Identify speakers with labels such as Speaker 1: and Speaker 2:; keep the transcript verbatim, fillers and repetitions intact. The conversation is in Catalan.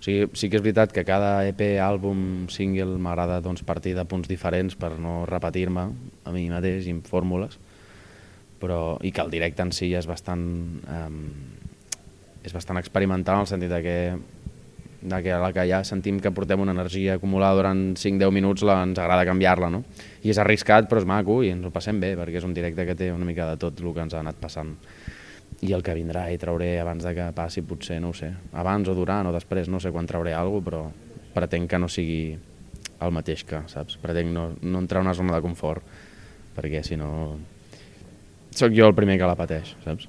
Speaker 1: O sigui, sí que és veritat que cada E P, àlbum, single m'agrada doncs, partir de punts diferents per no repetir-me a mi mateix i en fórmules, però, i que el directe en si és bastant, eh, és bastant experimental en el sentit de que, de que a la que ja sentim que portem una energia acumulada durant cinc deu minuts la, ens agrada canviar-la, no? I és arriscat però és maco i ens ho passem bé perquè és un directe que té una mica de tot el que ens ha anat passant. I el que vindrà i trauré abans de que passi potser, no ho sé, abans o durant o després, no sé quan trauré alguna cosa, però pretenc que no sigui el mateix que, saps? Pretenc no, no entrar en una zona de confort, perquè si no... Soc jo el primer que la pateix, saps?